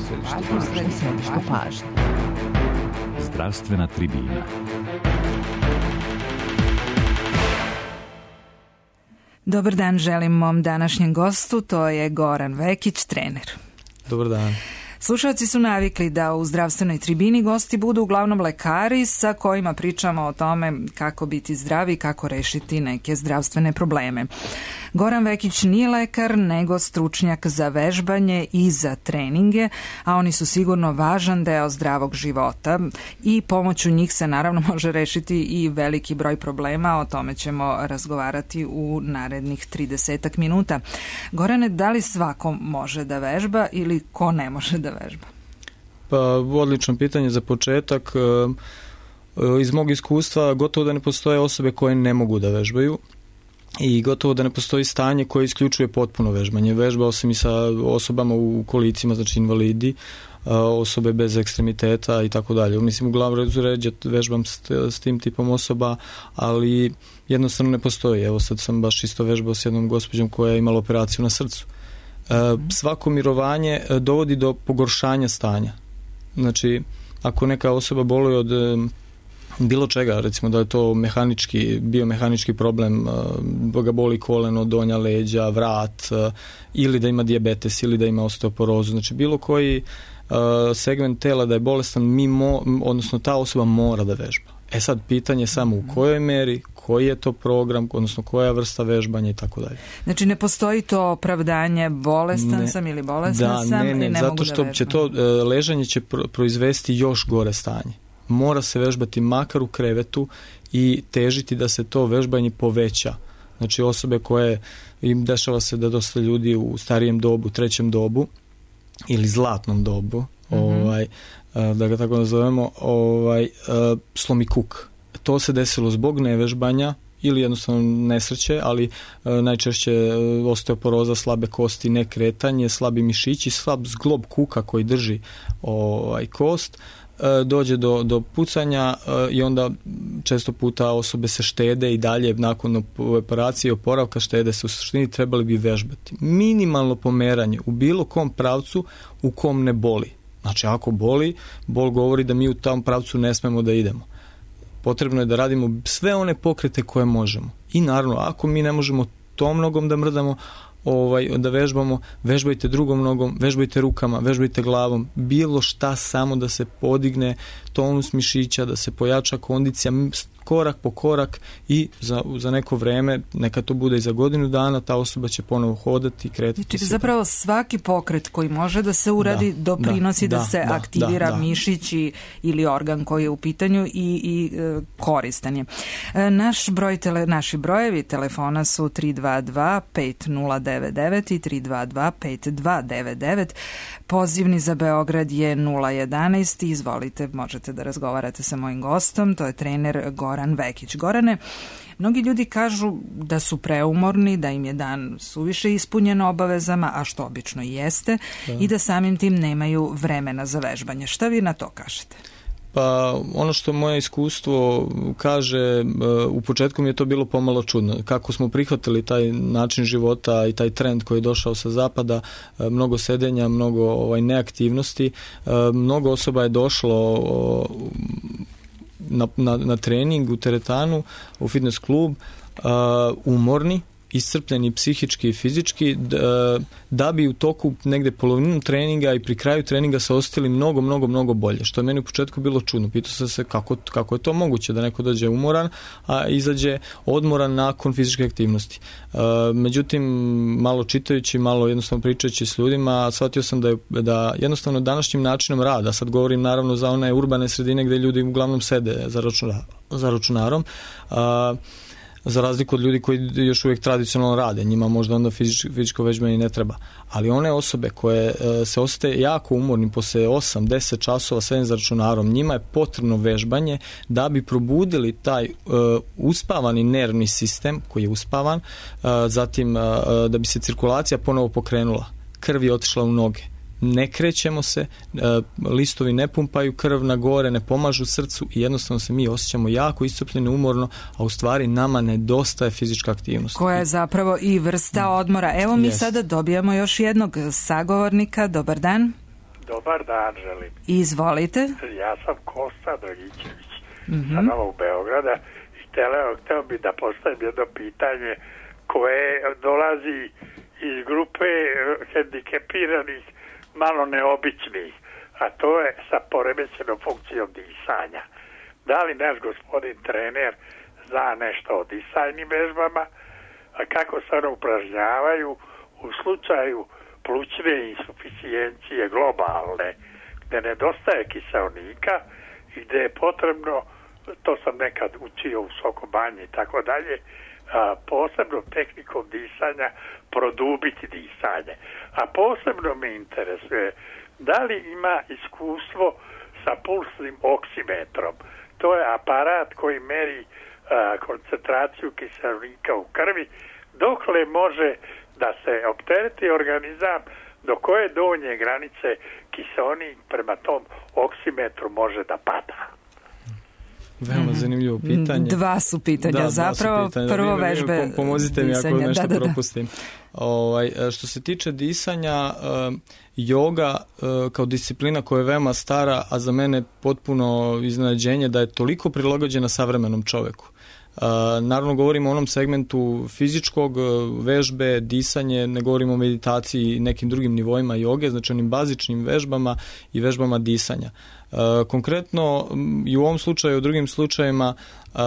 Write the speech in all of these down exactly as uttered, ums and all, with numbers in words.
središte pažnje. Zdravstvena tribina. Dobar dan želim mom današnjem gostu, to je Goran Vekić, trener. Dobar dan. Slušalci su navikli da u zdravstvenoj tribini gosti budu uglavnom lekari sa kojima pričamo o tome kako biti zdravi i kako rešiti neke zdravstvene probleme. Goran Vekić nije lekar, nego stručnjak za vežbanje i za treninge, a oni su sigurno važan deo zdravog života i pomoću njih se naravno može rešiti i veliki broj problema, o tome ćemo razgovarati u narednih tridesetak minuta. Gorane, da li svako može da vežba ili ko ne može da vežba? Pa, odlično pitanje za početak. Iz mog iskustva gotovo da ne postoje osobe koje ne mogu da vežbaju i gotovo da ne postoji stanje koje isključuje potpuno vežbanje. Vežbao sam i sa osobama u kolicima, znači invalidi, osobe bez ekstremiteta i tako dalje. Mislim, uglavnom vežbam s, s tim tipom osoba, ali jednostavno ne postoji. Evo sad sam baš isto vežbao s jednom gospođom koja je imala operaciju na srcu. Svako mirovanje dovodi do pogoršanja stanja. Znači, ako neka osoba boluje od bilo čega, recimo da je to mehanički, biomehanički problem, ga boli koleno, donja leđa, vrat, ili da ima dijabetes, ili da ima osteoporozu, znači bilo koji segment tela da je bolestan, mimo, odnosno ta osoba mora da vežba. E sad, pitanje je samo u kojoj meri, koji je to program, odnosno koja vrsta vežbanja i tako dalje. Znači ne postoji to opravdanje bolestan ne. sam ili bolestan da, sam ne, ne, i ne zato što da će to ležanje će proizvesti još gore stanje. Mora se vežbati makar u krevetu i težiti da se to vežbanje poveća. Znači osobe koje im dešava se da dosta ljudi u starijem dobu, trećem dobu ili zlatnom dobu, mm-hmm. ovaj, da ga tako nazovemo, ovaj, slomi kuk. To se desilo zbog nevežbanja ili jednostavno nesreće, ali najčešće osteoporoza, slabe kosti, nekretanje, slabi mišići, slab zglob kuka koji drži ovaj, kost, dođe do, do pucanja i onda često puta osobe se štede i dalje nakon operacije i oporavka štede se, u suštini trebali bi vežbati. Minimalno pomeranje u bilo kom pravcu u kom ne boli. Znači ako boli, bol govori da mi u tom pravcu ne smemo da idemo. Potrebno je da radimo sve one pokrete koje možemo. I naravno, ako mi ne možemo tom nogom da mrdamo, ovaj, da vežbamo, vežbajte drugom nogom, vežbajte rukama, vežbajte glavom, bilo šta samo da se podigne tonus mišića, da se pojača kondicija, korak po korak i za, za neko vreme, neka to bude i za godinu dana, ta osoba će ponovo hodati, kretati. Znači, zapravo svaki pokret koji može da se uradi da, doprinosi da, da se da, aktivira da, da. mišić ili organ koji je u pitanju i, i e, koristan je. E, naš broj tele, naši brojevi telefona su tri dva dva pet nula devet devet i tri dva dva pet dva devet devet. Pozivni za Beograd je nula jedanaest. Izvolite, možete da razgovarate sa mojim gostom, to je trener Goran Vekić. Gorane, mnogi ljudi kažu da su preumorni, da im je dan suviše ispunjen obavezama, a što obično i jeste, da. I da samim tim nemaju vremena za vežbanje. Šta vi na to kažete? Pa ono što moje iskustvo kaže, u početku mi je to bilo pomalo čudno. Kako smo prihvatili taj način života i taj trend koji je došao sa zapada, mnogo sedenja, mnogo ovaj, neaktivnosti, mnogo osoba je došlo na, na, na trening u teretanu, u fitness klub, umorni, iscrpljeni psihički i fizički, da, da bi u toku negde polovinu treninga i pri kraju treninga se osjetili mnogo, mnogo, mnogo bolje, što je meni u početku bilo čudno. Pitao sam se kako, kako je to moguće da neko dođe umoran, a izađe odmoran nakon fizičke aktivnosti. E, međutim, malo čitajući, malo jednostavno pričajući s ljudima, shvatio sam da, je, da jednostavno današnjim načinom rada, sad govorim naravno za one urbane sredine gde ljudi uglavnom sede za, računar, za računarom, a, za razliku od ljudi koji još uvijek tradicionalno rade, njima možda onda fizičko, fizičko vežbanje ne treba. Ali one osobe koje e, se osjećaju jako umornim posle osam do deset časova sedenja za računarom, njima je potrebno vežbanje da bi probudili taj e, uspavani nervni sistem koji je uspavan, e, zatim e, da bi se cirkulacija ponovo pokrenula, krv je otišla u noge. Ne krećemo se, listovi ne pumpaju krv na gore, ne pomažu srcu i jednostavno se mi osjećamo jako iscrpljeno, umorno, a u stvari nama nedostaje fizička aktivnost. Koja je zapravo i vrsta odmora. Evo mi yes. sada dobijamo još jednog sagovornika. Dobar dan. Dobar dan, želim. Izvolite. Ja sam Kosta Dragićević mm-hmm. sa Novog Beograda i hteo, hteo bi da postavim jedno pitanje koje dolazi iz grupe hendikepiranih, malo neobičnih, a to je sa poremećenom funkcijom disanja. Da li naš gospodin trener zna nešto o disajnim vežbama, a kako se one upražnjavaju u slučaju plućne insuficijencije globalne, gde nedostaje kiseonika i gde je potrebno, to sam nekad učio u Sokobanji i tako dalje, posebno tehnikom disanja produbiti disanje. A posebno me interesuje da li ima iskustvo sa pulsnim oksimetrom. To je aparat koji meri a, koncentraciju kiseonika u krvi, dokle može da se optereti organizam, do koje donje granice kiseonik prema tom oksimetru može da pada. Veoma zanimljivo pitanje. Dva su pitanja da, zapravo. Su pitanja. Prvo da, vežbe pomozite mi disanja. Ako nešto da, da, da. propustim. Ovaj, što se tiče disanja, joga kao disciplina koja je veoma stara, a za mene potpuno iznenađenje da je toliko prilagođena savremenom čoveku. Uh, naravno govorimo o onom segmentu fizičkog, vežbe, disanje, ne govorimo o meditaciji i nekim drugim nivoima joge, znači onim bazičnim vežbama i vežbama disanja. Uh, konkretno i u ovom slučaju i u drugim slučajevima uh,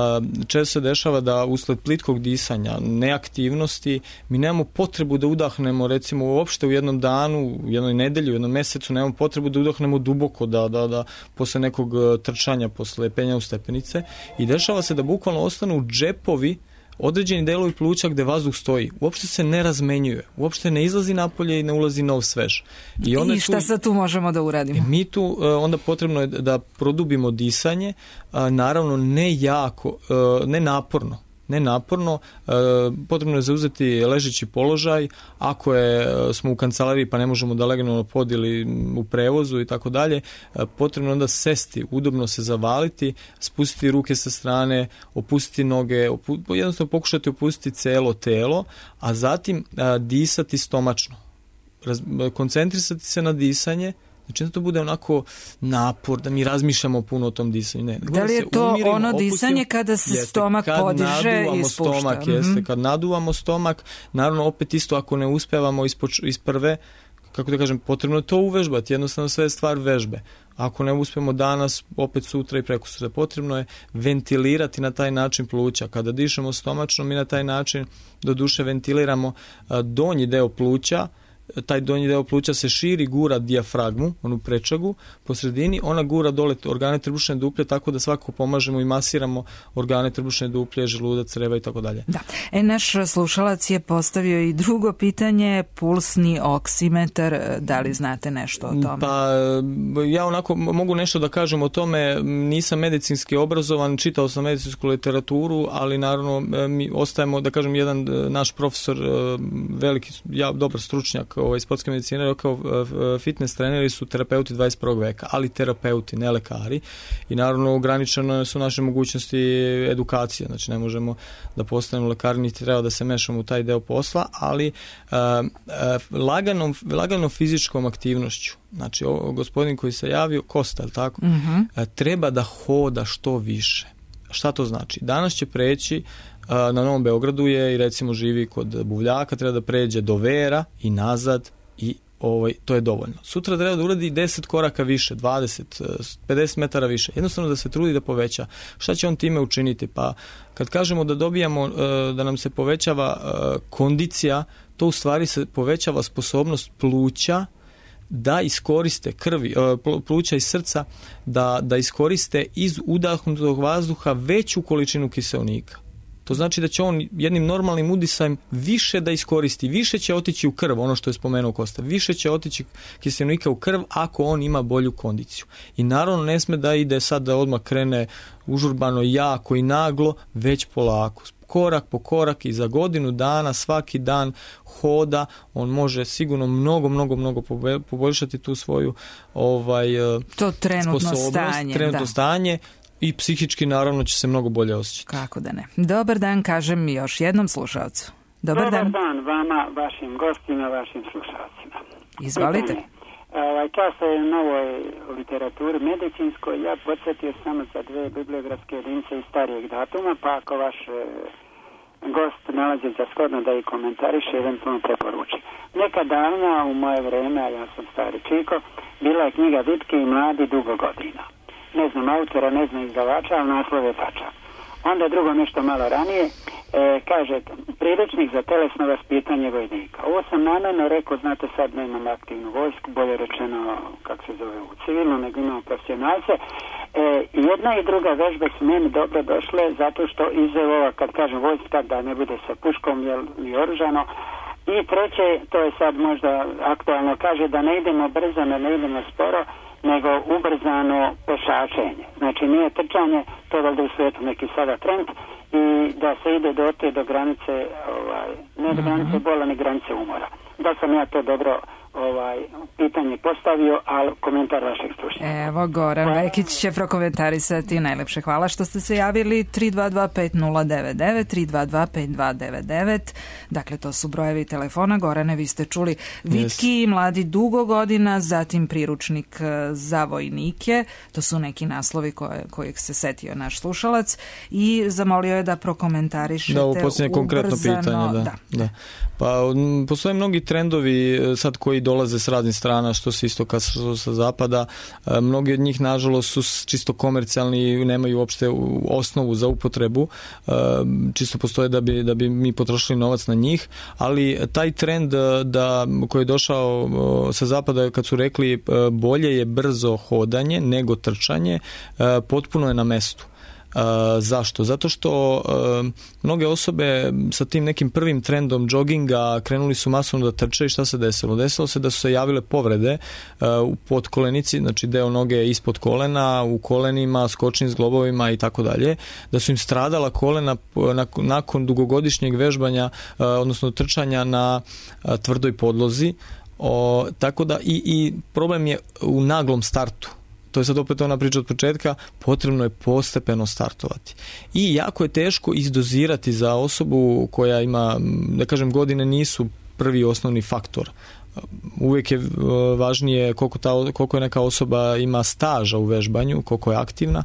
često se dešava da usled plitkog disanja, neaktivnosti, mi nemamo potrebu da udahnemo recimo uopšte u jednom danu, u jednoj nedelji, u jednom mesecu, nemamo potrebu da udahnemo duboko, da, da, da posle nekog trčanja, posle penja u stepenice i dešava se da bukvalno ostanu džepovi određeni delovi pluća gde vazduh stoji. Uopšte se ne razmenjuje. Uopšte ne izlazi napolje i ne ulazi nov svež. I, onda I šta tu, sad tu možemo da uradimo? Mi tu onda potrebno je da produbimo disanje, naravno ne jako, ne naporno. Ne naporno, e, potrebno je zauzeti ležeći položaj, ako je, smo u kancelariji pa ne možemo da legnemo na pod ili u prevozu i tako dalje, potrebno je onda sesti, udobno se zavaliti, spustiti ruke sa strane, opustiti noge, opu, jednostavno pokušati opustiti celo telo, a zatim a, disati stomačno. Raz, koncentrisati se na disanje, znači da to bude onako napor, da mi razmišljamo puno o tom disanju. Ne, da li je to umirimo, ono disanje opustimo, kada se jeste, stomak kad podiže i spušta? Stomak, mm-hmm. Jeste, kad naduvamo stomak, naravno opet isto ako ne uspevamo ispoč, iz prve, kako da kažem, potrebno je to uvežbati, jednostavno sve je stvar vežbe. Ako ne uspemo danas, opet sutra i prekosutra. Potrebno je ventilirati na taj način pluća. Kada dišemo stomačno, mi na taj način do duše ventiliramo donji deo pluća, taj donji deo pluća se širi, gura dijafragmu, onu prečagu, po sredini, ona gura dole organe trbušne duplje, tako da svako pomažemo i masiramo organe trbušne duplje, želudac, creva i tako dalje. Da. E, naš slušalac je postavio i drugo pitanje, pulsni oksimetar, da li znate nešto o tome? Pa, ja onako mogu nešto da kažem o tome, nisam medicinski obrazovan, čitao sam medicinsku literaturu, ali naravno mi ostajemo, da kažem, jedan naš profesor, veliki, ja, dobar stručnjak ovaj, sportske medicine, rekao fitness treneri su terapeuti dvadeset prvog veka, ali terapeuti, ne lekari, i naravno ograničene su naše mogućnosti edukacije, znači ne možemo da postanemo lekari, niti treba da se mešamo u taj deo posla, ali uh, uh, laganom, laganom fizičkom aktivnošću, znači o, gospodin koji se javio, Kosta, je tako? Mm-hmm. Uh, treba da hoda što više. Šta to znači? Danas će preći na Novom Beogradu je i recimo živi kod Buvljaka, treba da pređe do Vera i nazad i ovaj, to je dovoljno. Sutra treba da uradi deset koraka više, dvadeset, pedeset metara više. Jednostavno da se trudi da poveća. Šta će on time učiniti? Pa kad kažemo da dobijamo, da nam se povećava kondicija, to u stvari se povećava sposobnost pluća da iskoriste krvi, pluća i srca, da, da iskoriste iz udahnutog vazduha veću količinu kiseonika. To znači da će on jednim normalnim udisajem više da iskoristi, više će otići u krv, ono što je spomenuo Kosta, više će otići kiseonika u krv ako on ima bolju kondiciju. I naravno ne sme da ide sad da odmah krene užurbano, jako i naglo, već polako. Korak po korak i za godinu dana, svaki dan hoda, on može sigurno mnogo, mnogo, mnogo poboljšati tu svoju ovaj, to trenutno stanje, trenutno da. stanje. I psihički naravno će se mnogo bolje osjećati. Kako da ne. Dobar dan, kažem još jednom slušalcu. Dobar, Dobar dan. dan vama, vašim gostima, vašim slušalcima. Izvolite. Pitanje. Ovaj, často je u novoj literaturi medicinskoj, ja podsjetio samo za dve bibliografske jedinice iz starijeg datuma, pa ako vaš e, gost nalazi za shodno da ih komentariše, eventualno preporuči. Neka davna u moje vreme, a ja sam stari čiko, bila je knjiga Vitki i mladi dugo godina. Ne znam autora, ne znam izdavača, ali naslov je tačan. Onda drugo nešto malo ranije, e, kaže, priručnik za telesno vaspitanje vojnika. Ovo sam namjerno rekao, znate sad nemam aktivnu vojsku, bolje rečeno, kako se zove, u civilno, nego imamo profesionalce. E, jedna i druga vežbe su meni dobro došle, zato što iz ova, kad kažem vojska, da ne bude sa puškom jel, i oružano. I treće, to je sad možda aktualno, kaže da ne idemo brzo, ne idemo sporo, nego ubrzano pešačenje. Znači nije trčanje, to je valjda u svijetu neki sada trend, i da se ide do te do granice, ovaj, ne do granice bola, ni granice umora. Da sam ja to dobro ovaj, pitanje postavio, ali komentar vašeg slušanja. Evo, Goran Vekić će prokomentarisati. Najlepše hvala što ste se javili. Tri dva dva pet nula devet devet, tri dva dva pet dva devet devet. Dakle, to su brojevi telefona. Gorane, vi ste čuli Vitki i mladi dugo godina, zatim priručnik za vojnike. To su neki naslovi koje, kojeg se setio naš slušalac i zamolio je da prokomentarišete da, ovo posljednje konkretno pitanje. Da, da. Da. Pa, postoje mnogi trendovi sad koji dolaze s raznih strana, što sa istoka, što sa zapada. Mnogi od njih, nažalost, su čisto komercijalni, nemaju uopšte osnovu za upotrebu. Čisto postoje da bi, da bi mi potrošili novac na njih, ali taj trend da, koji je došao sa zapada, kad su rekli bolje je brzo hodanje nego trčanje, potpuno je na mestu. Uh, zašto? Zato što uh, mnoge osobe sa tim nekim prvim trendom džoginga krenuli su masovno da trče i šta se desilo? Desilo se da su se javile povrede uh, u podkolenici, znači deo noge ispod kolena, u kolenima, skočnim zglobovima i tako dalje, da su im stradala kolena nakon dugogodišnjeg vežbanja, uh, odnosno trčanja na uh, tvrdoj podlozi. O, tako da i, i problem je u naglom startu. To je sad opet ona priča od početka, potrebno je postepeno startovati. I jako je teško izdozirati za osobu koja ima, da kažem, godine nisu prvi osnovni faktor. Uvijek je važnije koliko, ta, koliko je neka osoba ima staža u vežbanju, koliko je aktivna.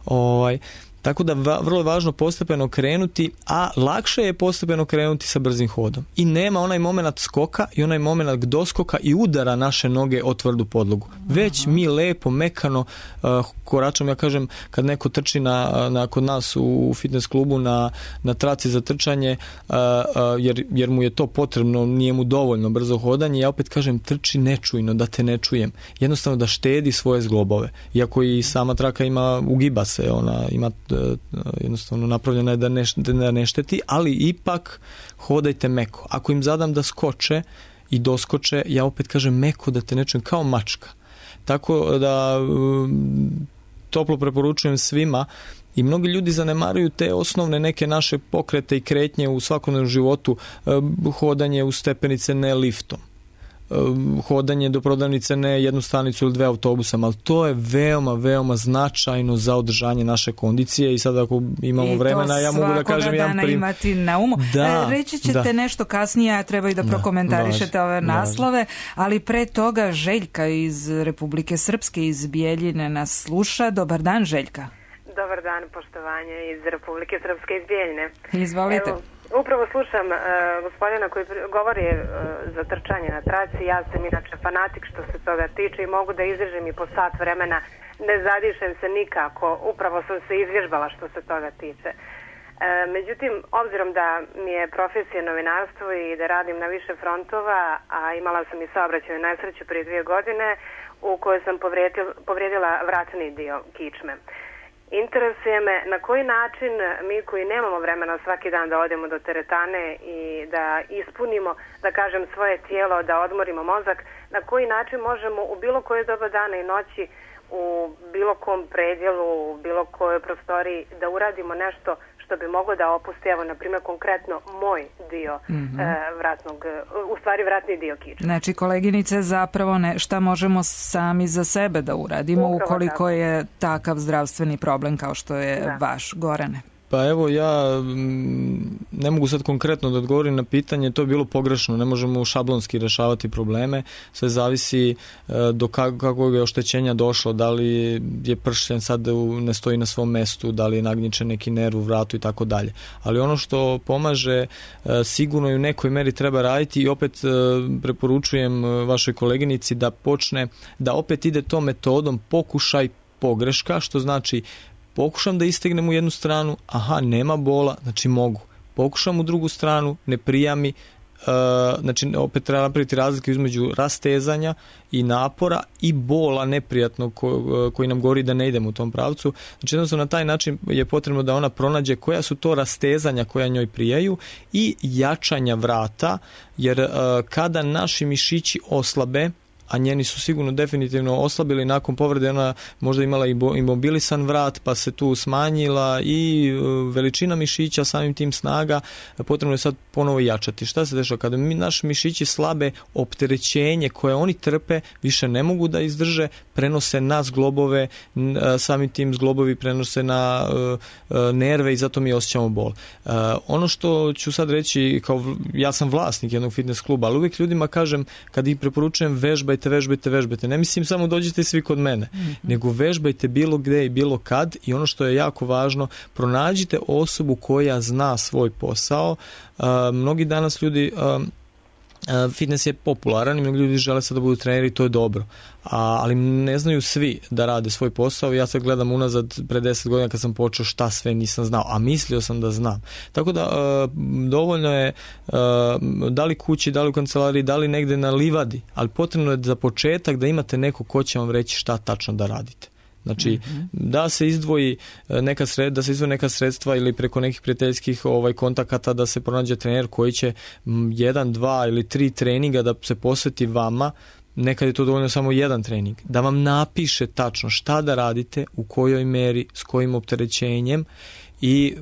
Ovaj, tako da va, vrlo je važno postepeno krenuti, a lakše je postepeno krenuti sa brzim hodom. I nema onaj moment skoka i onaj moment doskoka i udara naše noge o tvrdu podlogu. Već mi lepo, mekano uh, koračamo, ja kažem, kad neko trči na, na, kod nas u fitness klubu na, na traci za trčanje, uh, uh, jer, jer mu je to potrebno, nije mu dovoljno brzo hodanje, ja opet kažem, trči nečujno, da te ne čujem. Jednostavno da štedi svoje zglobove. Iako i sama traka ima, ugiba se, ona ima jednostavno napravljena je da ne, da ne šteti, ali ipak hodajte meko. Ako im zadam da skoče i doskoče, ja opet kažem meko, da te ne čujem, kao mačka. Tako da toplo preporučujem svima, i mnogi ljudi zanemaruju te osnovne neke naše pokrete i kretnje u svakodnevnom životu, hodanje u stepenice ne liftom, hodanje do prodavnice ne jednu stanicu ili dve autobusama, ali to je veoma, veoma značajno za održanje naše kondicije i sad ako imamo vremena, ja mogu da kažem jedan prim... imati na umu. Da, Reći ćete da. nešto kasnije, a treba i da, da prokomentarišete važi, ove naslove, važi. Ali pre toga Željka iz Republike Srpske, iz Bijeljine nas sluša. Dobar dan, Željka. Dobar dan, poštovanje iz Republike Srpske, iz Bijeljine. Izvolite. Evo, upravo slušam uh, gospodina koji govori uh, za trčanje na traci. Ja sam inače fanatik što se toga tiče i mogu da izvježem i po sat vremena. Ne zadišem se nikako. Upravo sam se izvježbala što se toga tiče. Uh, međutim, obzirom da mi je profesija novinarstvo i da radim na više frontova, a imala sam i saobraćajnu nesreću prije dvije godine u kojoj sam povrijedila vratni dio kičme. Interesuje me na koji način mi koji nemamo vremena svaki dan da odemo do teretane i da ispunimo, da kažem, svoje tijelo, da odmorimo mozak, na koji način možemo u bilo koje doba dana i noći, u bilo kom predjelu, u bilo kojoj prostoriji da uradimo nešto što bi moglo da opusti, evo, na primjer, konkretno moj dio mm-hmm. e, vratnog, u stvari vratni dio kičme. Znači, koleginice, zapravo ne, šta možemo sami za sebe da uradimo upravo ukoliko tako. je takav zdravstveni problem kao što je da. vaš, Gorane? Pa evo ja ne mogu sad konkretno da odgovorim na pitanje, to je bilo pogrešno, ne možemo šablonski rešavati probleme, sve zavisi do kakvog je oštećenja došlo, da li je pršljen sad ne stoji na svom mestu, da li je nagnjičen neki nerv u vratu i tako dalje. Ali ono što pomaže sigurno i u nekoj meri treba raditi i opet preporučujem vašoj koleginici da počne, da opet ide tom metodom pokušaj pogreška, što znači pokušam da istegnem u jednu stranu, aha, nema bola, znači mogu. Pokušam u drugu stranu, ne prija mi, uh, znači opet treba napraviti razliku između rastezanja i napora i bola neprijatnog ko, koji nam govori da ne idemo u tom pravcu. Znači jednostavno na taj način je potrebno da ona pronađe koja su to rastezanja koja njoj prijaju i jačanja vrata, jer uh, kada naši mišići oslabe, a njeni su sigurno definitivno oslabili nakon povrede, ona možda imala i imobilisan vrat, pa se tu smanjila i veličina mišića, samim tim snaga, potrebno je sad ponovo jačati. Šta se dešava? Kada mi naši mišići slabe, opterećenje koje oni trpe više ne mogu da izdrže, prenose na zglobove, samim tim zglobovi prenose na nerve i zato mi osjećamo bol. Ono što ću sad reći, kao ja sam vlasnik jednog fitness kluba, ali uvijek ljudima kažem, kad ih preporučujem vežbaj vežbajte, vežbajte. Ne mislim samo dođite svi kod mene, mm-hmm. nego vežbajte bilo gde i bilo kad i ono što je jako važno, pronađite osobu koja zna svoj posao. Uh, mnogi danas ljudi uh, uh, fitness je popularan i mnogi ljudi žele sad da budu treneri, to je dobro. A, ali ne znaju svi da rade svoj posao. Ja sad gledam unazad pre deset godina kad sam počeo šta sve nisam znao, a mislio sam da znam. Tako da uh, dovoljno je uh, da li kući, da li u kancelariji, da li negde na livadi, ali potrebno je za početak da imate neko ko će vam reći šta tačno da radite. Znači, mm-hmm. da se izdvoji neka sred, da se izdvoji neka sredstva ili preko nekih prijateljskih ovaj, kontakata da se pronađe trener koji će jedan, dva ili tri treninga da se posveti vama. Nekad je to dovoljno samo jedan trening, da vam napiše tačno šta da radite, u kojoj meri, s kojim opterećenjem i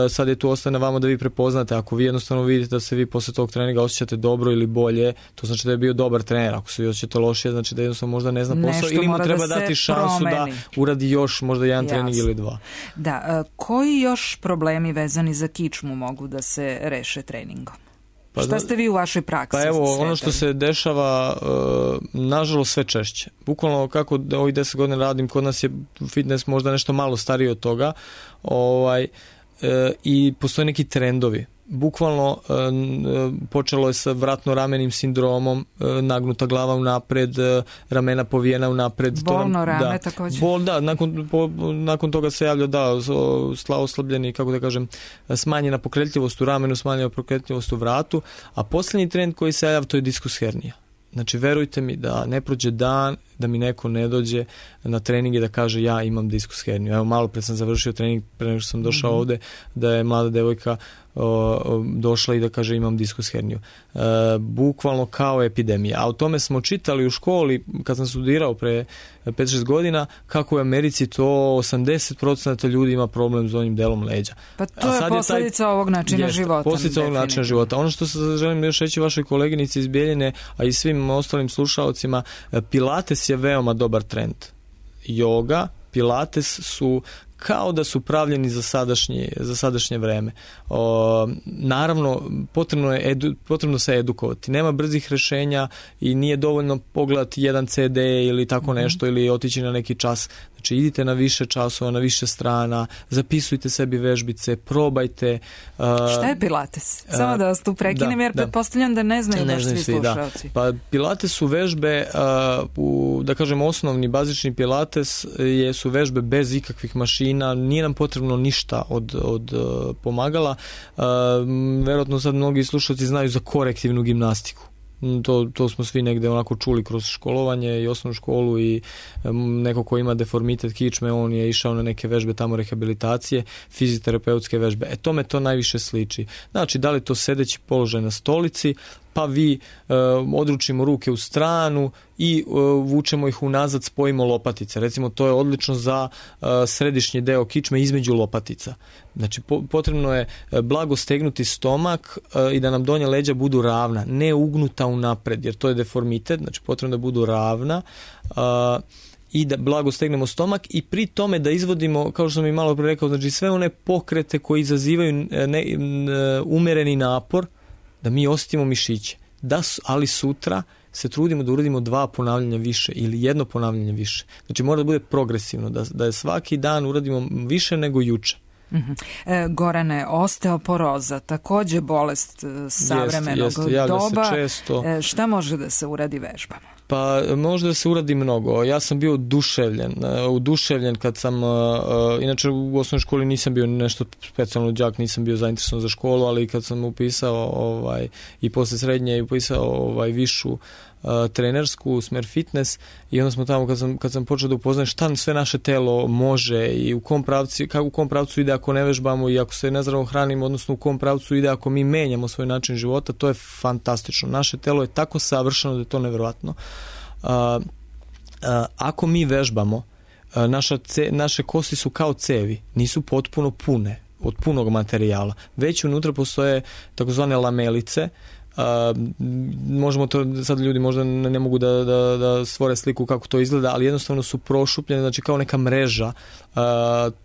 e, sad je tu ostane vama da vi prepoznate. Ako vi jednostavno vidite da se vi posle tog treninga osjećate dobro ili bolje, to znači da je bio dobar trener. Ako se vi osjećate lošije, znači da jednostavno možda ne zna posao ili mu treba da dati šansu promeni. Da uradi još možda jedan Jasne. trening ili dva. Da, koji još problemi vezani za kičmu mogu da se reše treningom? Pa, šta ste vi u vašoj praksi? Pa evo, ono što se dešava, uh, nažalost sve češće. Bukvalno kako ovih deset godina radim, kod nas je fitness možda nešto malo stariji od toga, ovaj, uh, i postoje neki trendovi. Bukvalno uh, počelo je sa vratno-ramenim sindromom, uh, nagnuta glava unapred, uh, ramena povijena unapred. Bolno to, rame da, također. Bol, da, nakon, po, nakon toga se javlja da, oslabljeni, kako da kažem, smanjena pokretljivost u ramenu, smanjena pokretljivost u vratu, a posljednji trend koji se javlja to je diskus hernija. Znači, verujte mi da ne prođe dan da mi neko ne dođe na trening i da kaže ja imam diskus herniju. Evo, malo pre sam završio trening, pre nego što sam došao mm-hmm. ovde, da je mlada devojka o, o, došla i da kaže imam diskus herniju. E, bukvalno kao epidemija. A o tome smo čitali u školi kad sam studirao pre pet šest godina, kako u Americi to osamdeset posto ljudi ima problem s donjim delom leđa. Pa to je posljedica taj, ovog načina jest, života. Posljedica ovog načina života. Ono što se želim još reći vašoj koleginici iz Bijeljine, a i svim ostalim slušalcima, Pilates je veoma dobar trend. Yoga, Pilates su kao da su pravljeni za sadašnje, za sadašnje vreme. O, naravno, potrebno je edu, potrebno se edukovati. Nema brzih rešenja i nije dovoljno pogledati jedan ce de ili tako nešto, mm-hmm. ili otići na neki čas. Znači, idite na više časova, na više strana, zapisujte sebi vežbice, probajte. Uh, Šta je Pilates? Samo da vas tu prekinem, jer pretpostavljam da ne znaju ne baš svi slušalci. Da. Pa Pilates su vežbe, uh, u, da kažem, osnovni, bazični Pilates je, su vežbe bez ikakvih mašina, nije nam potrebno ništa od, od uh, pomagala. Uh, verovatno sad mnogi slušalci znaju za korektivnu gimnastiku. To, to smo svi negde onako čuli kroz školovanje i osnovnu školu i um, neko ko ima deformitet kičme, on je išao na neke vežbe tamo rehabilitacije, fizioterapeutske vežbe. E tome to najviše sliči. Znači, da li to sedeći položaj na stolici, pa vi uh, odručimo ruke u stranu i uh, vučemo ih unazad, spojimo lopatice. Recimo, to je odlično za uh, središnji deo kičme između lopatica. Znači, po, potrebno je blago stegnuti stomak uh, i da nam donja leđa budu ravna, ne ugnuta unapred, jer to je deformitet, znači potrebno da budu ravna. Uh, i da blago stegnemo stomak i pri tome da izvodimo, kao što sam i malo pre rekao, znači sve one pokrete koji izazivaju ne, ne, umereni napor, da mi osjetimo mišiće. Da, ali sutra se trudimo da uradimo dva ponavljanja više ili jedno ponavljanje više. Znači mora da bude progresivno, da, da je svaki dan uradimo više nego juče. Uh-huh. E, Gorane, osteoporoza, takođe bolest savremenog jest, jest, doba. Se često. E, šta može da se uradi vežbama? Pa može da se uradi mnogo. Ja sam bio oduševljen, oduševljen kad sam, uh, inače u osnovnoj školi nisam bio nešto specijalno đak, nisam bio zainteresovan za školu, ali kad sam upisao ovaj, i posle srednje upisao ovaj, višu uh, trenersku, smer fitness, i onda smo tamo kad sam, kad sam počeo da upoznajem šta sve naše telo može i u kom pravcu, kako u kom pravcu ide ako ne vežbamo i ako se nezdravo hranimo, odnosno u kom pravcu ide ako mi menjamo svoj način života, to je fantastično. Naše telo je tako savršeno da je to neverovatno. Uh, uh, ako mi vežbamo, uh, naša ce, naše kosti su kao cevi, nisu potpuno pune od punog materijala, već unutra postoje takozvane lamelice. Uh, možemo to, sad ljudi možda ne, ne mogu da, da, da stvore sliku kako to izgleda, ali jednostavno su prošupljene, znači kao neka mreža uh,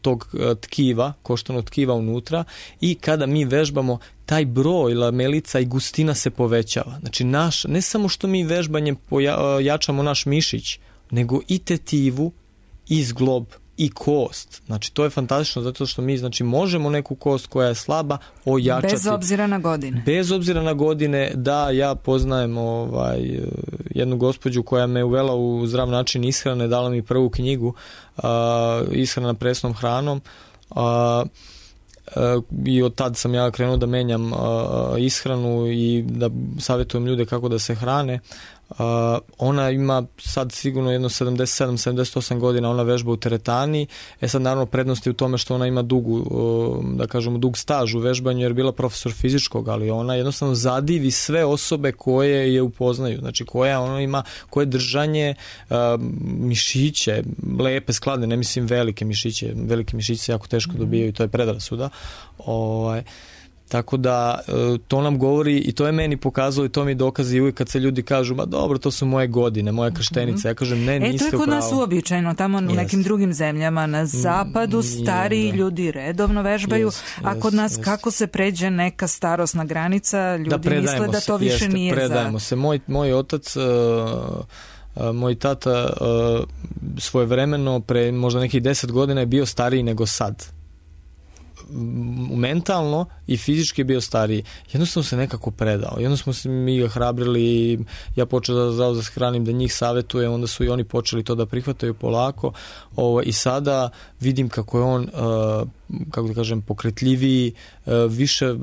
tog uh, tkiva, koštanog tkiva unutra, i kada mi vežbamo, taj broj lamelica i gustina se povećava. Znači naš, ne samo što mi vežbanjem poja, jačamo naš mišić, nego i tetivu, i zglob, i kost. Znači to je fantastično zato što mi znači možemo neku kost koja je slaba ojačati. Bez obzira na godine. Bez obzira na godine, da, ja poznajem ovaj, jednu gospođu koja me uvela u zdrav način ishrane, dala mi prvu knjigu uh, ishrana presnom hranom. Uh, Uh, i od tad sam ja krenuo da menjam uh, ishranu i da savjetujem ljude kako da se hrane. Uh, ona ima sad sigurno jedno sedamdeset sedam sedamdeset osam godina, ona vežba u teretani. E sad naravno prednost je u tome što ona ima dugu, uh, da kažemo dug staž u vežbanju jer je bila profesor fizičkog, ali ona jednostavno zadivi sve osobe koje je upoznaju, znači koja ona ima, koje držanje uh, mišiće, lepe, skladne, ne mislim velike mišiće, velike mišiće se jako teško dobijaju, to je predrasuda. Ovaj Tako da to nam govori i to je meni pokazalo i to mi dokazi i uvijek kad se ljudi kažu, ma dobro, to su moje godine, moja krštenica. Ja kažem, ne, niste upravo. E, to je kod upravo. nas uobičajeno, tamo u nekim drugim zemljama na zapadu stariji ljudi redovno vežbaju, jest, a kod nas jest. Kako se pređe neka starosna granica, ljudi da, misle da to više jeste, nije predajemo za... se. Moj, moj otac... Uh, Uh, moj tata uh, svojevremeno pre možda nekih deset godina je bio stariji nego sad. Mentalno i fizički je bio stariji. Jednostavno se nekako predao. Jednostavno smo mi ga hrabrili, ja počeo da zdravo da se hranim, da njih savjetuje, onda su i oni počeli to da prihvataju polako. Ovo, i sada vidim kako je on uh, kako da kažem, pokretljiviji, uh, više uh,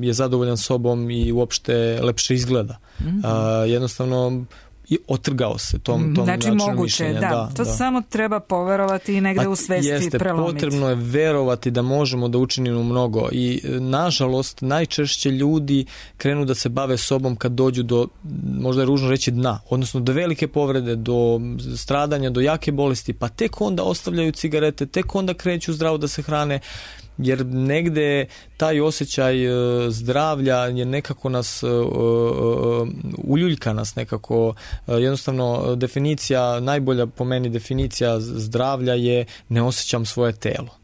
je zadovoljan sobom i uopšte lepše izgleda. Mm-hmm. Uh, jednostavno i otrgao se tom, tom znači moguće, da. da. To da. Samo treba poverovati i negde u svesti jeste, prelomiti. Potrebno je verovati da možemo da učinimo mnogo i nažalost najčešće ljudi krenu da se bave sobom kad dođu do, možda je ružno reći, dna, odnosno do velike povrede, do stradanja, do jake bolesti, pa tek onda ostavljaju cigarete, tek onda kreću zdravo da se hrane, jer negde taj osjećaj zdravlja je nekako nas uljuljka nas nekako, jednostavno definicija, najbolja po meni definicija zdravlja je ne osjećam svoje telo.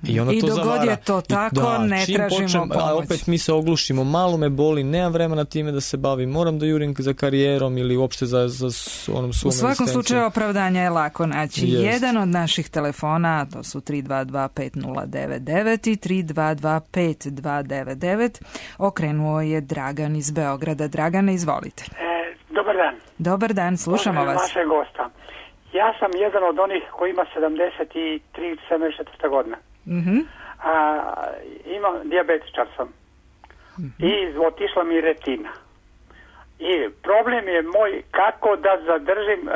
I, ono I to dogod zavara. je to tako, da, ne tražimo počnem, pomoć. A opet mi se oglušimo, malo me boli, nemam vremena time da se bavim, moram da jurim za karijerom ili uopšte za, za onom svom U svakom slučaju opravdanja je lako naći. Jest. Jedan od naših telefona, to su tri dva dva pet nula devet devet i tri dva dva pet dva devet devet, okrenuo je Dragan iz Beograda. Dragane, izvolite. E, dobar dan. Dobar dan, slušamo vas. Vašeg gosta. Ja sam jedan od onih koji ima sedamdeset tri sedamdeset četiri godina. Mm-hmm. A, imam, dijabetičar sam. Mm-hmm. I otišla mi retina. I problem je moj kako da zadržim e,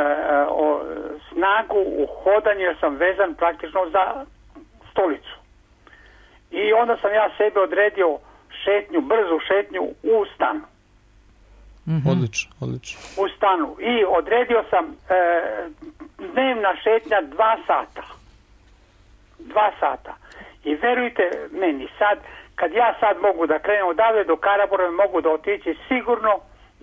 o, snagu u hodanju, jer sam vezan praktično za stolicu. I onda sam ja sebe odredio šetnju, brzu šetnju u stanu. Mm-hmm. Odlično, odlično. U stanu. I odredio sam e, dnevna šetnja dva sata. Dva sata. I verujte meni, sad, kad ja sad mogu da krenem odavde do Karabora, mogu da otići sigurno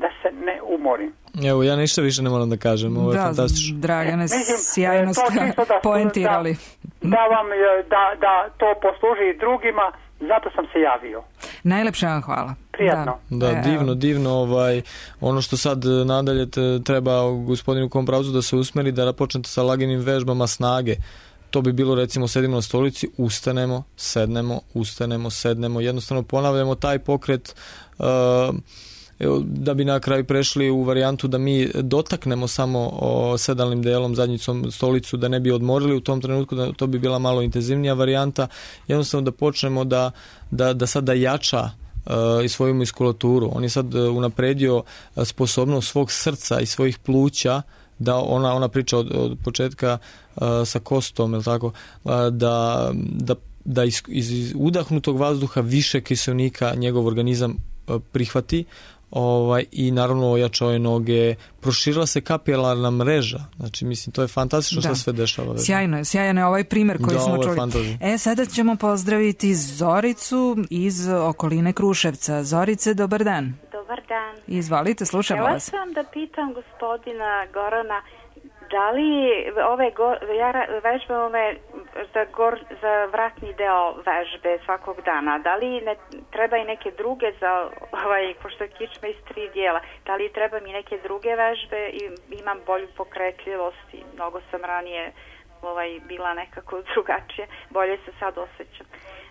da se ne umorim. Evo, ja ništa više ne moram da kažem, ovo je da, fantastično. Dragane, Mislim, sjajno ste poentirali. Da, da, vam, da, da to posluži i drugima, zato sam se javio. Najlepše vam hvala. Prijatno. Da, da, divno, divno. Ovaj, ono što sad nadalje treba gospodinu Kompravcu da se usmeri, da počnete sa laganim vežbama snage. To bi bilo, recimo, sedimo na stolici, ustanemo, sednemo, ustanemo, sednemo, jednostavno ponavljamo taj pokret, uh, da bi na kraju prešli u varijantu da mi dotaknemo samo o sedalnim delom, zadnjicom stolicu, da ne bi odmorili u tom trenutku, da to bi bila malo intenzivnija varijanta, jednostavno da počnemo da, da, da sad da jača uh, i svoju muskulaturu. On je sad unapredio sposobnost svog srca i svojih pluća, da ona, ona priča od, od početka uh, sa kostom, je li tako, uh, da, da, da iz, iz udahnutog vazduha više kiselnika njegov organizam uh, prihvati, ovaj, i naravno ojačao je noge, proširila se kapilarna mreža, znači mislim to je fantastično što sve dešava. Već. Sjajno je, sjajan je ovaj primer koji da, smo čuli. Fantazija. E, sada ćemo pozdraviti Zoricu iz okoline Kruševca. Zorice, dobar dan. Dobar dan. Izvalite, slušamo Htjela vas. sam da pitam gospodina Gorana, da li ove go, ja vežbe ove za, gor, za vratni deo vežbe svakog dana, da li ne treba i neke druge za ovaj, pošto je kičma iz tri dijela, da li treba mi neke druge vežbe i imam bolju pokretljivost i mnogo sam ranije ovaj, bila nekako drugačije, bolje se sad osjećam.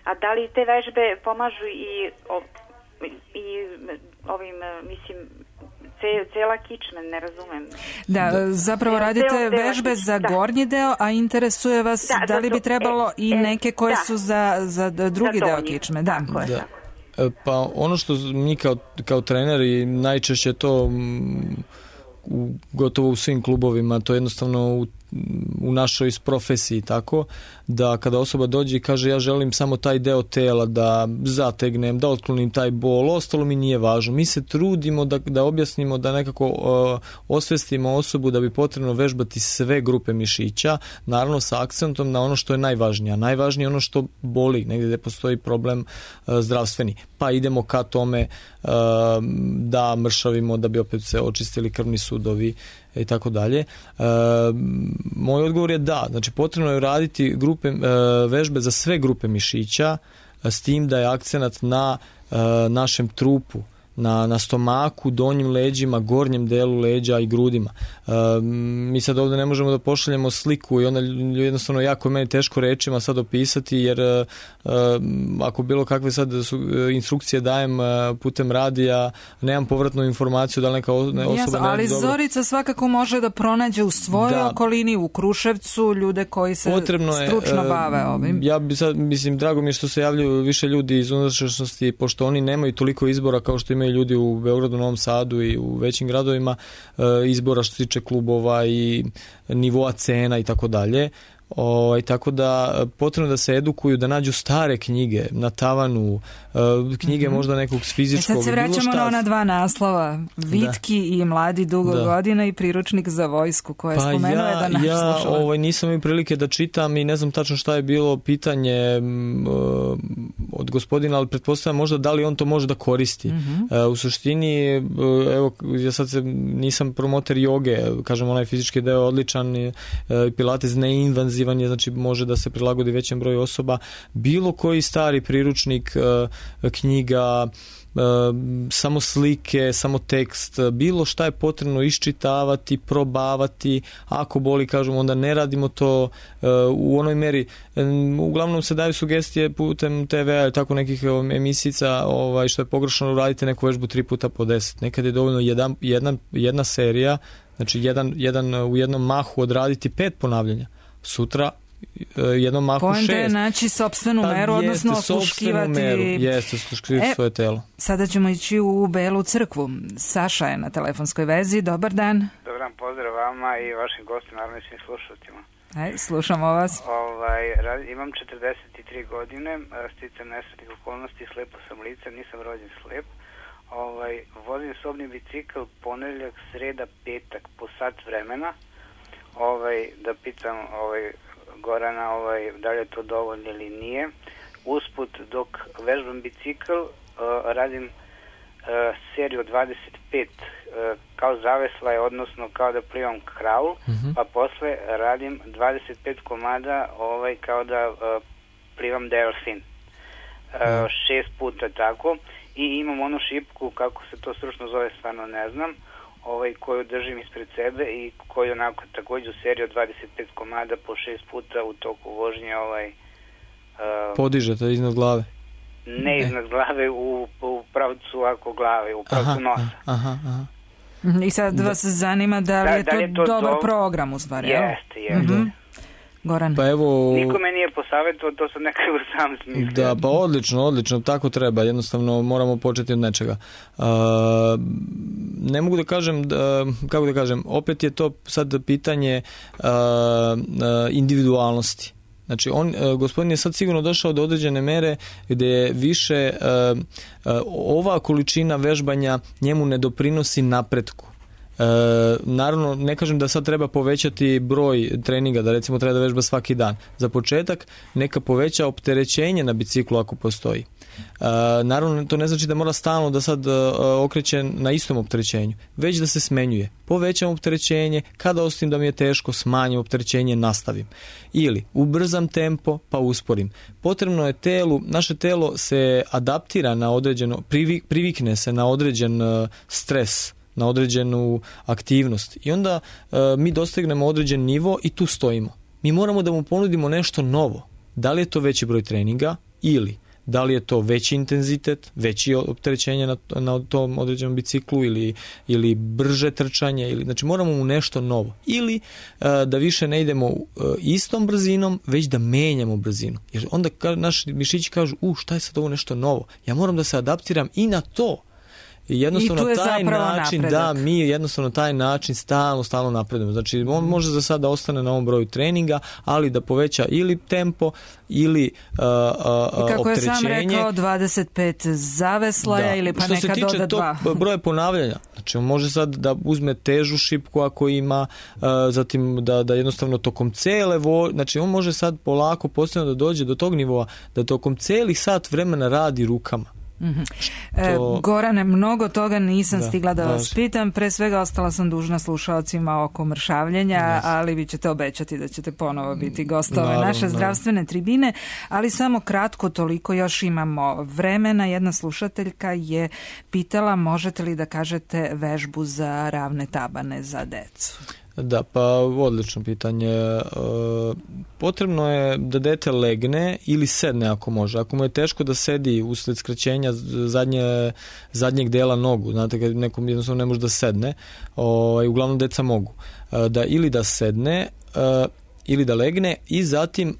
A da li te vežbe pomažu i, i ovim, mislim, cijela kičma, ne razumem. Da, zapravo radite vežbe za gornji deo, a interesuje vas da, da li bi trebalo i neke koje su za, za drugi deo kičme. Da. Da. Pa ono što mi kao, kao treneri najčešće to u, gotovo u svim klubovima, to jednostavno u u našoj profesiji, tako da kada osoba dođe i kaže ja želim samo taj deo tela da zategnem, da otklonim taj bol, ostalo mi nije važno. Mi se trudimo da, da objasnimo, da nekako uh, osvestimo osobu da bi potrebno vežbati sve grupe mišića, naravno sa akcentom na ono što je najvažnije. Najvažnije je ono što boli, negdje gdje postoji problem uh, zdravstveni. Pa idemo ka tome uh, da mršavimo, da bi opet se očistili krvni sudovi i tako dalje. E, moj odgovor je da, znači potrebno je raditi grupe, e, vežbe za sve grupe mišića, s tim da je akcenat na e, našem trupu, na, na stomaku, donjim leđima, gornjem delu leđa i grudima. E, mi sad ovdje ne možemo da pošaljemo sliku i onda jednostavno jako je meni teško rečima sad opisati, jer e, ako bilo kakve sad su, instrukcije dajem putem radija, nemam povratnu informaciju da li neka osoba Jasno, ne ali dobro. Zorica svakako može da pronađe u svojoj da. okolini, u Kruševcu, ljude koji se potrebno stručno je, bave ovim. Ja bi sad, mislim, drago mi je što se javljaju više ljudi iz unutrašnjosti, pošto oni nemaju toliko izbora kao što imaju ljudi u Beogradu, Novom Sadu i u većim gradovima, izbora što se tiče klubova i nivoa cena i tako dalje. O, tako da potrebno da se edukuju, da nađu stare knjige na tavanu, knjige mm-hmm. možda nekog fizičkog. E sad se vraćamo na ona dva naslova, Vitki da. i Mladi dugo da. godina i Priručnik za vojsku, koje je pa spomenuo ja, jedan naš ja, slušalac. Ovaj, nisam imao prilike da čitam i ne znam tačno šta je bilo pitanje uh, od gospodina, ali pretpostavljam možda da li on to može da koristi. Mm-hmm. Uh, u suštini, uh, evo, ja sad se, nisam promoter joge, kažem, onaj fizički deo odličan, uh, pilates neinvanzivni, znači može da se prilagodi većem broju osoba. Bilo koji stari priručnik, knjiga, samo slike, samo tekst, bilo šta je potrebno iščitavati, probavati. Ako boli, kažemo, onda ne radimo to u onoj meri. Uglavnom se daju sugestije putem te ve a, tako nekih emisica, ovaj, što je pogrešno, radite neku vežbu tri puta po deset. Nekad je dovoljno jedan, jedna, jedna serija, znači jedan, jedan, u jednom mahu odraditi pet ponavljanja. Sutra jednom mahu šest. Poenta je naći sopstvenu meru, pa, odnosno osluškivati... Meru. Jeste, osluškivati e, svoje telo. Sada ćemo ići u Belu crkvu. Saša je na telefonskoj vezi. Dobar dan. Dobar dan, pozdrav vama i vašim gostima, naravno i svim slušalcima. Aj, slušamo vas. Ovaj, imam četrdeset tri godine, sticam nesretnih okolnosti, slepo sam lice, nisam rođen slep. Ovaj, vozim sobni bicikl ponedeljak, sreda, petak po sat vremena. Ovaj, da pitam ovaj, Gorana ovaj, da li je to dovoljno ili nije. Usput dok vežbam bicikl uh, radim uh, seriju dvadeset pet kao zaveslaj, odnosno kao da plivam kraul, uh-huh. pa posle radim dvadeset pet komada ovaj, kao da uh, plivam delfin. Uh, šest puta tako. I imam onu šipku, kako se to stručno zove, stvarno ne znam, ovaj, koju držim ispred sebe i koju onako također u seriji od dvadeset pet komada po šest puta u toku vožnje ovaj, uh, podižete iznad glave? Ne iznad e. glave, u, u pravcu ako glave, u pravcu aha, nosa. Aha, aha. I sad vas da. zanima da li da, je, to da li je to dobar do... program u stvari? Jeste, jeste. Mm-hmm. Goran. Pa evo... Nikome nije posavjetovao, to sam nekako sam smislio. Da, pa odlično, odlično, tako treba, jednostavno moramo početi od nečega. Uh, ne mogu da kažem, da, kako da kažem, opet je to sad pitanje uh, uh, individualnosti. Znači, on, gospodin je sad sigurno došao do određene mere gdje je više uh, uh, ova količina vežbanja njemu ne doprinosi napretku. E, naravno, ne kažem da sad treba povećati broj treninga, da recimo treba da vežba svaki dan. Za početak neka poveća opterećenje na biciklu ako postoji. E, naravno, to ne znači da mora stalno da sad e, okreće na istom opterećenju, već da se smenjuje. Povećam opterećenje, kada osjetim da mi je teško, smanjim opterećenje, nastavim. Ili ubrzam tempo, pa usporim. Potrebno je telu, naše telo se adaptira na određeno, privik, privikne se na određen uh, stres, na određenu aktivnost i onda uh, mi dostignemo određen nivo i tu stojimo. Mi moramo da mu ponudimo nešto novo. Da li je to veći broj treninga ili da li je to veći intenzitet, veći opterećenje na, na tom određenom biciklu ili, ili brže trčanje. Ili, znači moramo mu nešto novo. Ili uh, da više ne idemo uh, istom brzinom, već da menjamo brzinu. Jer onda ka, naši mišići kažu, u šta je sad ovo nešto novo? Ja moram da se adaptiram i na to. I jednostavno I taj način, napredak. da, mi jednostavno taj način stalno, stalno napredujemo. Znači, on može za sada ostane na ovom broju treninga, ali da poveća ili tempo, ili uh, uh, I kako opterećenje. je sam rekao, dvadeset pet zaveslaja da. Ili pa što neka doda dva. Što se tiče tog broja ponavljanja, znači on može sad da uzme težu šipku ako ima, uh, zatim da, da jednostavno tokom cele vo, znači on može sad polako postepeno da dođe do tog nivoa, da tokom celih sat vremena radi rukama. Mm-hmm. Što... E, Gorane, mnogo toga nisam da, stigla da vas važi. pitam, pre svega ostala sam dužna slušaocima oko mršavljenja, yes. ali vi ćete obećati da ćete ponovo biti gostove naše zdravstvene tribine, ali samo kratko, toliko još imamo vremena. Jedna slušateljka je pitala možete li da kažete vežbu za ravne tabane za decu? Da, pa odlično pitanje. Potrebno je da dete legne ili sedne ako može. Ako mu je teško da sedi usled skraćenja zadnje, zadnjeg dela nogu, znate kad nekom jednostavno ne može da sedne, ovaj, uglavnom deca mogu. Da ili da sedne ili da legne i zatim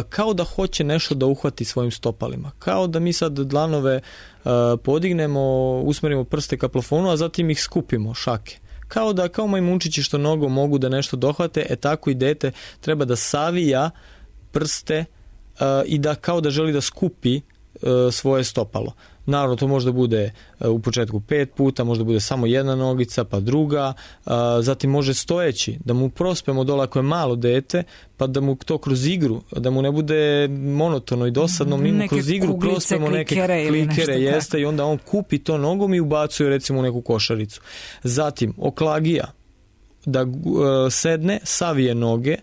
kao da hoće nešto da uhvati svojim stopalima. Kao da mi sad dlanove podignemo, usmerimo prste ka plafonu, a zatim ih skupimo, šake. Kao da, kao majmunčići što nogom mogu da nešto dohvate, e tako i dete treba da savija prste uh, i da kao da želi da skupi uh, svoje stopalo. Naravno, to može da bude uh, u početku pet puta, može da bude samo jedna nogica, pa druga, uh, zatim može stojeći, da mu prospemo dole ako je malo dete, pa da mu to kroz igru, da mu ne bude monotono i dosadno, mi mu kroz igru kuglice, prospemo neke klikere, jeste, i onda on kupi to nogom i ubacuje recimo u neku košaricu. Zatim, oklagija, da uh, sedne, savije noge,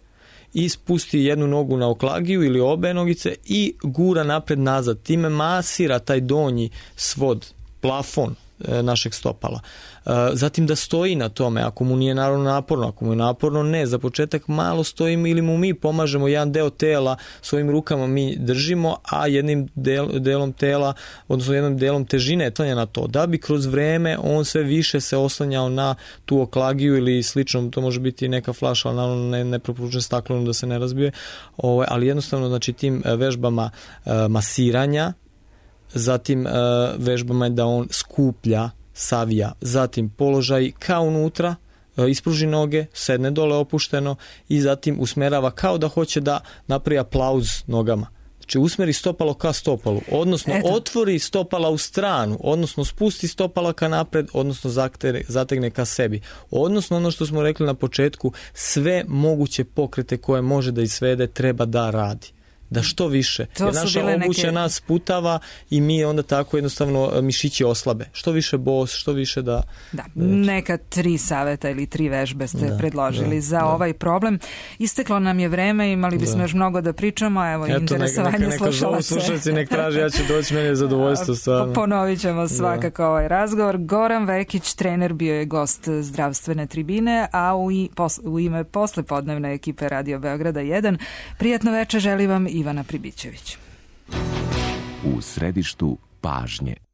i spusti jednu nogu na oklagiju ili obe nogice i gura napred nazad. Time masira taj donji svod, plafon e, našeg stopala. E, zatim da stoji na tome, ako mu nije naravno naporno, ako mu je naporno ne, za početak malo stojimo ili mu mi pomažemo jedan deo tela, svojim rukama mi držimo, a jednim del, delom tela, odnosno jednom delom težine oslanja na to, da bi kroz vreme on sve više se oslanjao na tu oklagiju ili slično, to može biti neka flaša, ali naravno ne, ne preporučujem staklenom da se ne razbije, o, ali jednostavno znači tim vežbama e, masiranja, zatim e, vežbama je da on skuplja, savija, zatim položaj kao unutra, e, ispruži noge, sedne dole opušteno i zatim usmerava kao da hoće da napravi aplauz nogama. Znači usmeri stopalo ka stopalu, odnosno Eto. otvori stopala u stranu, odnosno spusti stopala ka napred, odnosno zategne ka sebi. Odnosno ono što smo rekli na početku, sve moguće pokrete koje može da izvede treba da radi. da što više. To Jer naša obuća neke... nas putava i mi onda tako jednostavno mišići oslabe. Što više bos, što više da... Da, neka tri saveta ili tri vežbe ste da, predložili da, za da. ovaj problem. Isteklo nam je vreme, imali bismo da. još mnogo da pričamo, evo Eto, interesovanje neka, neka slušalaca. Slušalci nek traži, ja ću doći, meni je zadovoljstvo stvarno. Ponovit ćemo svakako da. ovaj razgovor. Goran Vekić, trener, bio je gost Zdravstvene tribine, a u, i, pos, u ime poslepodnevne ekipe Radio Beograda jedan, prijatno večer želi vam Ivana Pribićević. U središtu pažnje.